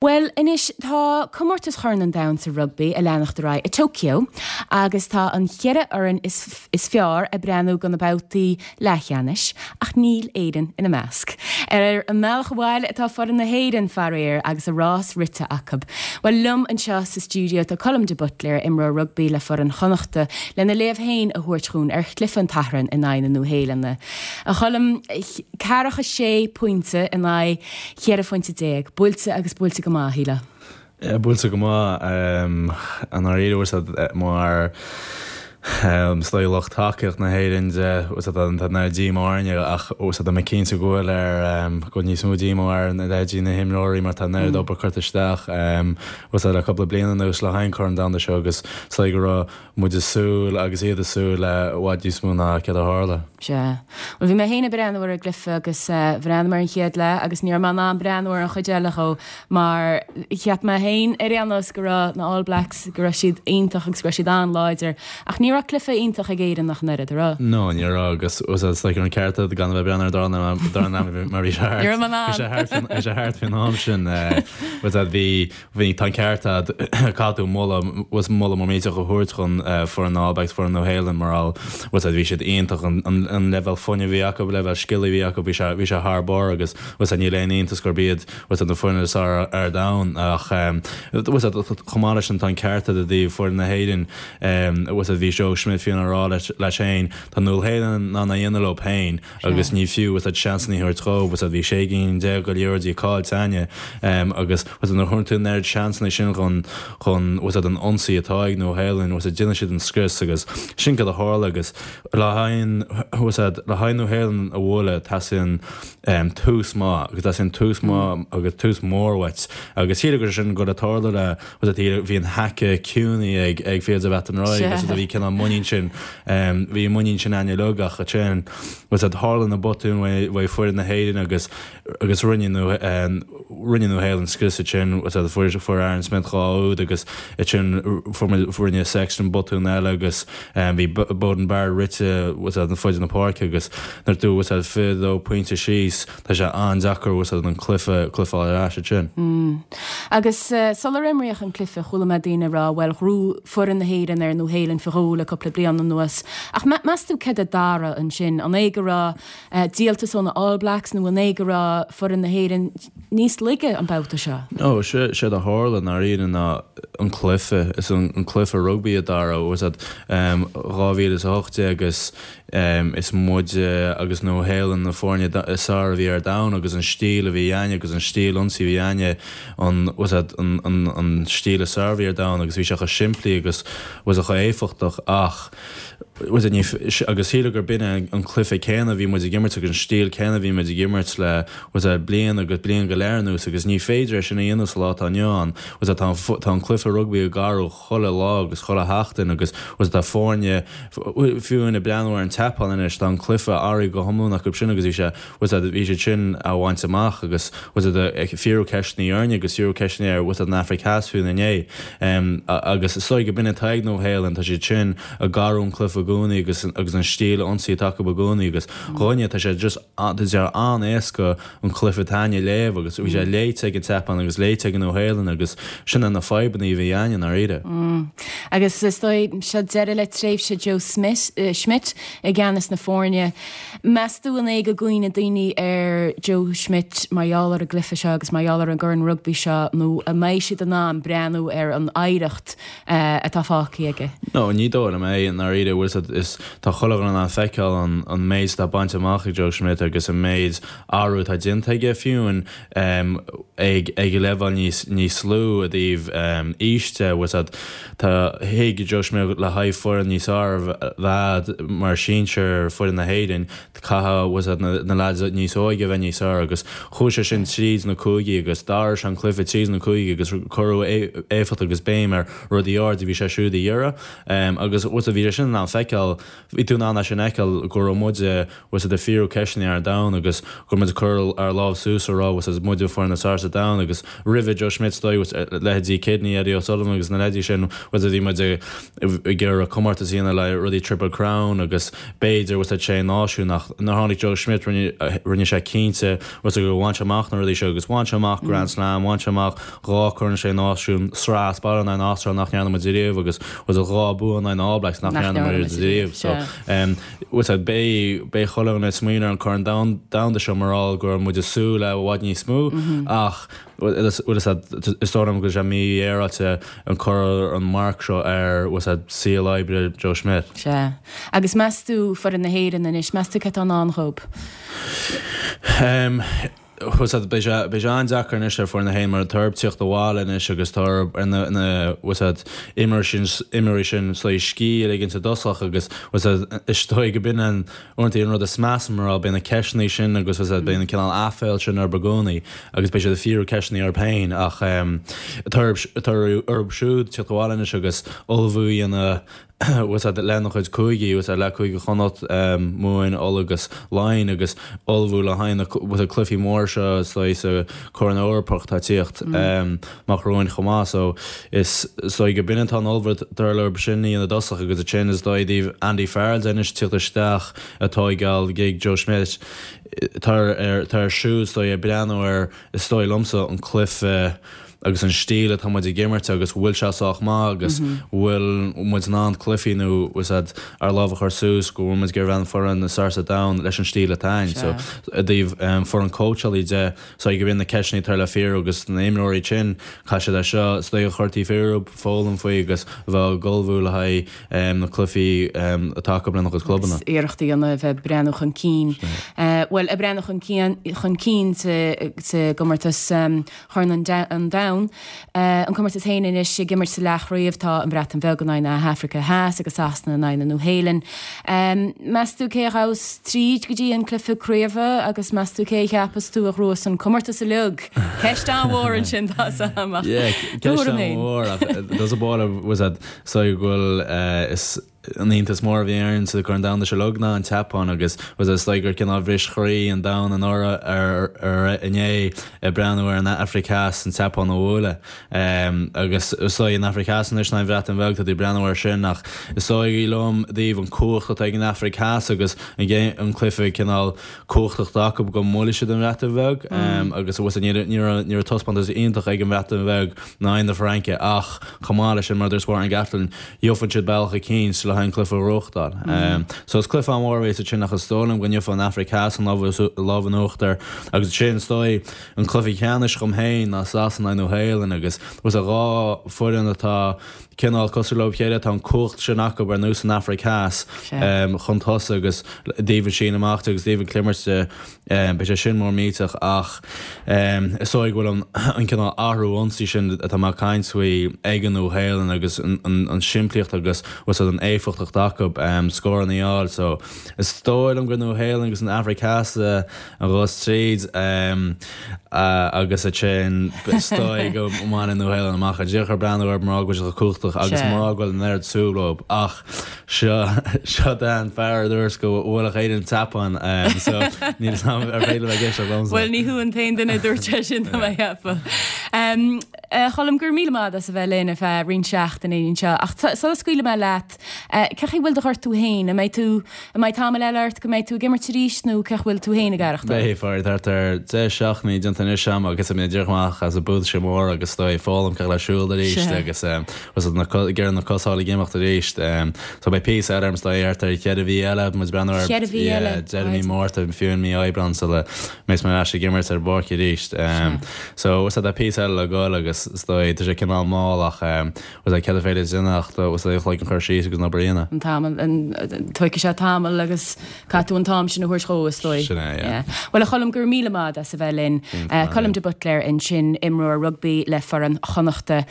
Bhuel, anois, tá Comórtas Chorn an Domhain sa Rugbaí ag leanacht ar aghaidh i Tokyo agus tá an cheithre fhoireann is fearr ag breathnú do na babhtaí leathcheannais, ach níl Éirinn ina measc. Ar an mbealach abhaile atá foireann na hÉireann, faraor, agus a rás rite acu. Bhuel, liom anseo sa stiúideo tá Colm de Buitléir, imreoir rugbaí le foireann Chonnachta, lena léamh féin a thabhairt dhúinn ar chluiche an tSathairn in aghaidh na Nua-Shéalainne. A Choilm, ceathracha sé pointe in aghaidh 14 phointe. Buailte agus buailte go maith, shílfeá. Yeah, buailte go maith. I ndáiríre, bhfuil a fhios agat, mar is dóigh lucht tacaíocht na hÉireann de, bhfuil a fhios agat, tá an oiread díomá orainne ach bhfuil a fhios agat, tá mé cinnte go bhfuil ar, go bhfuil níos mó díomá ar na leithéidí na himreoirí mar tá an oiread obair curtha isteach, bhfuil a fhios agat, le cúpla bliain anuas le haghaidh an Corn Domhanda seo agus is dóigh go raibh muid ag súil agus iad ag súil le i bhfad níos mó ná céard a tharla. Sea. Bhuel, bhí mé féin ag breathnú ar an gcluiche agus bhreathnaigh mé ar an chéad leath agus ní raibh mé in ann breathnú ar an chuid eile dhó mar cheap mé féin ar aon nós go raibh na All Blacks, go raibh siad iontach agus go raibh siad an-láidir ach ní raibh cluiche iontach ag Éirinn ach an oiread, an raibh? No, ní raibh agus is dóigh an ceart agat gan a bheith ag breathnú ar an dara leath mar bhí sé thart. Ní raibh mé in ann. Bhí sé thart, bhí sé thart faoin am sin. Bhí Bhí, tá an ceart agat, caithfidh tú moladh, bhfuil moladh mór millteach a thabhairt chun foireann na All Blacks, foireann Nua Shéalainn mar gheall, bhfuil a fhios agat, bhí siad iontach, an leibhéal fuinnimh a bhí acu, leibhéal scil a bhí acu, bhí sé, bhí sé thar barr agus, bhfuil a fhios agat, níl aon iontas gurb iad, bhfuil a fhios agat, na foirne is fearr ar domhan ach, bhfuil a fhios agat, chomh maith leis sin tá an ceart agat i dtaobh foireann na hÉireann, bhfuil a fhios agat, bhí Joe Schmidt fiú ag rá leis, leis féin, tá Nua Shéalainn in ann é a dhéanamh leo féin. Agus ní fiú, bhfuil a fhios agat, seansanna a thabhairt dhóibh, bhfuil a fhios agat, bhí 16 gcinn de liathróidí caillte againne, agus, bhfuil a fhios agat, nuair a thugann tú an oiread seansanna sin chun, chun, bhfuil a fhios agat, an ionsaí atá ag Nua Shéalainn, bhfuil a fhios agat, déanann siad an scrios agus sin cad a tharla agus le haghaidh an, bhfuil a fhios agat, le haghaidh Nua Shéalainn a bhualadh teastaíonn tús maith agus teastaíonn tús maith agus tús mór uait agus sílim gur sin rud a tharla le, bhfuil a fhios agat, bhí an haice ciúin ag ag Fields of Athenry agus bhí cineál muinín sin, bhí an muinín sin againne uilig ach ansin, bhfuil a fhios agat, tharla na botúin uaidh foireann na hÉireann agus agus rinne rinne Nua Shéalainn scrios ansin, bhfuil a fhios agat, fuair fuair Aaron Smith 2 úd agus ansin fuair muid rinne Sexton botún eile agus bhí Beauden Barrett rite, bhfuil a fhios agat, an fud na páirce agus nuair tú, bhfuil a fhios agat, 22 pointe síos, Tá sé an-deacair bhfuil a fhios agat an cluiche cluiche fáil ar ais ansin. Agus sular imríodh an cluiche chuala mé daoine ag rá bhuel ghnóthaigh foireann na hÉireann ar Nua Shéalainn faoi dhó le cúpla bliain anuas. Ach meas tú céard a d'athraigh ansin? An é go raibh díoltas ó na All Blacks nó an é go raibh foireann na hÉireann níos laige an babhta seo? No, séard a tharla i ndáiríre ná an cluiche, is an cluiche rugbaí a d'athraigh, bhfuil a fhios agat, 2018 agus Is muide agus Nua Shéalainn na foirne is fearr a bhí ar domhan agus an stíl a bhí againne agus an stíl ionsaí a bhí againne, an, bhfuil a fhios agat, an, an, an stíl is fearr a bhí ar domhan agus bhí sé chomh simplí agus bhfuil a fhios agat chomh éifeachtach ach, bhfuil a fhios agat, ní, agus shílfeá gur b'in é an cluiche céanna a bhí muid ag imirt agus an stíl céanna a bhí muid ag imirt le, bhfuil a fhios agat, bliain agus bliain go leith anuas agus ní féidir é sin a dhéanamh sa lá atá inniu ann, bhfuil a fhios agat, tá an, tá an cluiche rugbaí ag athrú chuile lá agus chuile sheachtain agus bhfuil a fhios agat tá foirne, fiú ag breathnú ar an tSeapáin anois, tá an cluiche athraithe go hiomlán acu sin agus bhí sé, bhfuil a fhios agat, bhí siad sin á bhaint amach agus bhfuil a fhios agat, ag fiafraí ceisteanna orainne agus fiafraí ceisteanna ar bhfuil a fhios agat an Afraic Theas fiú inné. Agus is dóigh go b'in atá ag Nua Shéalainn, tá siad sin ag athrú an cluiche i gcónaí agus agus an stíl ionsaí atá acu i gcónaí agus dhúinne tá sé just, tá sé an-éasca an cluiche atá againne a léamh agus bhí sé léite ag an tSeapáin agus léite ag an Nua Shéalainn agus sin é na fadhbanna a bhí againne i ndáiríre. Agus is dóigh, seo deireadh le tréimhse Joe Smith, Schmidt i gceannas na foirne. Meas tú an é go gcuimhneoidh daoine ar Joe Schmidt mar gheall ar an gcluiche seo agus mar gheall ar an gCorn Rugbaí seo nó an mbeidh siad in ann breathnú ar an oidhreacht atá fágtha aige? No, ní dóigh liom é i ndáiríre, bhfuil a fhios agat, is tá chuile dhuine in ann feiceáil an an méid atá bainte amach ag Joe Schmidt agus an méid athrú atá déanta aige fiú ag ag leibhéal níos níos lú i dtaobh aois de, bhfuil a fhios agat, tá thuig Joe Schmidt le haghaidh foireann níos fearr a bheith mar sinsir foireann na hÉireann, Caithfidh, bhfuil a fhios agat, na leaids níos óige a bheith níos fearr agus chuaigh sé sin tríd na cúigí agus d'athraigh sé an cluiche tríd na cúigí agus cuireadh éifeacht agus béim ar rudaí áirid a bhí sé siúd a iarraidh. Agus, bhfuil a fhios agat, bhí sé sin in ann feiceáil, bhí tú in ann é sin a fheiceáil go raibh muide, bhfuil a fhios agat, ag fiafraí ceisteanna ar an domhan agus go raibh muid ag cur ár lámh suas a rá, bhfuil a fhios agat, muide an foireann is fearr sa domhan agus roimhe Joe Schmidt, is dóigh, leithéidí Kidney, Eddie. Eddie O'Sullivan agus na leaids sin, bhfuil a fhios agat, bhí muid ag iarraidh comórtas a dhéanamh le rudaí Triple Crown agus b'fhéidir, bhfuil a fhios agat, sé náisiún ach nuair a tháinig Joe Schmidt rinne sé cinnte, bhfuil a fhios agat, gur bhain sé amach na rudaí seo agus bhain sé amach Grand Slam, bhain sé amach 2 Corn Sé Náisiún, sraith as baile in aghaidh na hAstráile nach ndearna muid ariamh agus bhfuil a fhios agat 2 bua in aghaidh na All Blacks nach ndearna muid ariamh. So bhfuil a fhios agat, beidh beidh chuile dhuine ag smaoineamh ar an Corn Domhanda seo mar gheall go raibh muid ag súil le i bhfad níos mó ach bhfuil a fhios agat, is dóigh liom go bhfuil sé mífhéaráilte an cur an marc seo ar bhfuil a fhios agat saol oibre Joe Schmidt. Sea. Agus meas tú foireann na hÉireann anois, meas tú cé atá i ndán dhóibh? Bhfuil a fhios agat, beidh sé, beidh sé an-deacair anois ar foireann na hÉireann mar tá orthu tíocht abhaile anois agus tá orthu ar na, na, bhfuil a fhios agat, imreoirí sin, imreoirí sin is dóigh scíth a ligint i dtosach agus bhfuil a fhios agat, is dóigh go b'in an, uaireanta an rud is measa mar beidh na ceisteanna sin agus bhfuil a fhios agat, beidh an cineál aiféal sin orthu i gcónaí agus beidh siad ag fiafraí ceisteanna orthu féin ach tá orthu, tá orthu siúd tíocht abhaile anois agus ullmhú a dhéanamh bhfuil a fhios agat, lena chuid cúigí, bhfuil a fhios agat, le Cúige Chonnacht, Mumhain, Uladh agus Laighin agus ullmhú le haghaidh na bhfuil a fhios agat, cluichí mór seo is dóigh sa Chorn Eorpach atá ag tíocht amach romhainn chomh maith. So is dóigh go b'in atá an obair atá orthu sin a dhéanamh i dtosach agus ansin is dóigh i dtaobh Andy Farrell de anois tíocht isteach ag tóigeáil gig Joe Schmidt tá ar tá air siúd is dóigh ag breathnú ar is dóigh liomsa an cluiche agus an stíl atá muid ag imirt agus bhfuil sé sách maith agus bhfuil muid in ann cluichí nó bhfuil a fhios agat ár lámh a chur suas go bhfuil muid ag iarraidh bheith an foireann is fearr sa domhan leis an stíl atá againn. So i dtaobh foireann cóitseálaí de, is dóigh go b'in na ceisteanna atá le fiafraí agus na imreoirí sin, caithfidh siad é seo is dóigh a chur taobh thiar foghlaim faoi agus a bheith ag ullmhú le haghaidh na cluichí atá acu lena gcuid clubanna. Agus iarracht a dhéanamh a bheith ag breathnú chun cinn. Bhuel, ag breathnú chun cinn chun cinn sa gcomórtas Chorn an Domhain. An comórtas féin anois ag imirt sa leathchraobh tá an Bhreatain Bheag in aghaidh na hAfraice Theas agus Sasana in aghaidh na Nua-Shéalainne. Meas tú cé a ghabhfas tríd go dtí an cluiche craoibhe agus meas tú cé a cheapas tú a ghnóthós an comórtas uilig? Ceist an-mhór ansin tá 's a'm ach Yeah, ceist an-mhór ach does a ball was that so go bhfuil is an iontas mór a bhí orainn sa Chorn Domhanda seo uilig ná an tSeapáin agus was is dóigh gur cineál bhris chroí an domhan anuraidh ar ar inné ag breathnú ar an Afraic Theas an tSeapáin a bhualadh agus is dóigh an Afraic Theas anois ná an Bhreatain Bheag tá tú ag breathnú air sin ach is dóigh liom i dtaobh an cumhacht atá ag an Afraic Theas agus an an cluiche cineál cumhachtach atá acu go mbuailfidh siad an Bhreatain Bheag agus was ní raibh ní raibh taispeántas iontach ag an Bhreatain Bheag in aghaidh na Fraince ach chomh maith leis sin mar a dúirt Warren Gatland Gheobhaidh siad bealach eicínt le haghaidh an cluiche a ghnóthachtáil. So is cluiche an-mhór a bheas ansin ach is dóigh liom go ngeobhaidh an Afraic Theas an lámh in uachtar agus ansin is dóigh an cluiche ceannais dhom féin ná Sasana Nua Shéalainn agus was a dhá foireann atá cineál cosúil leo chéile tá an cumhacht sin acu ar nós an Afraic Theas chun tosaigh agus i dtaobh an síneadh amach de agus i dtaobh an chliarimirt de. Beidh sé sin mór millteach ach is dóigh go bhfuil an cineál athrú ionsaí sin atá mé ag caint faoi ag an Nua-Shéalainn agus an simplíocht agus bhfuil 's agat an éifeachtacht acu scóranna a fháil so is dóigh liom gur Nua-Shéalainn agus an Afraic Theas a ghabhfas tríd agus ansin is dóigh go mbainfidh Nua-Shéalainn amach é. Díreach ag breathnú orthu mar go bhfuil siad chomh cumhachtach agus mar go bhfuil an oiread súil leo ach Seo, seo Dan, fear a dúirt go bhuailfeadh Éire an tSeapáin, so níl 'fhios a'm ar féidir liom ag éisteacht liomsa. Bhuel, ní thú an t-aon duine a dúirt sé sin, tá mé a cheapadh. A Choilm, go raibh míle maith agat as a bheith linn ar feadh roinnt seachtainí anseo, ach sula scaoilfidh mé leat, cén chaoi a bhfuil do ghortú féin? An mbeidh tú, an mbeidh tamall eile ort go mbeidh tú ag imirt arís nó cén chaoi a bhfuil tú féin ag aireachtáil? Beidh, faraor, thart ar 10 seachtainí déanta anois a'm agus mé díreach amach as an buailse mór agus is dóigh foghlaim cén chaoi le siúl arís agus Agus ag iarraidh na cosa a fháil ag imeacht arís. So beidh píosa eile orm is dóigh thart ar cheithre mhí eile, muid ag breathnú ar Cheithre mhí eile, deireadh mí Márta, fiú in mí Aibreán sula mbeidh mé ar ais ag imirt ar an bpáirc arís. So is tá píosa eile le goil agus is dóigh tá sé cineál mall ach was céard is féidir a dhéanamh ach was an chloigeann a chur síos agus an obair a dhéanamh. An tamall, tógfaidh sé tamall agus caithfidh tú an t-am sin a thabhairt dhó is dóigh. Sin é, yeah. Bhuel a Choilm, go raibh míle maith agat as a bheith linn. Colm de Buitléir ansin, imreoir rugbaí le foireann Chonnachta.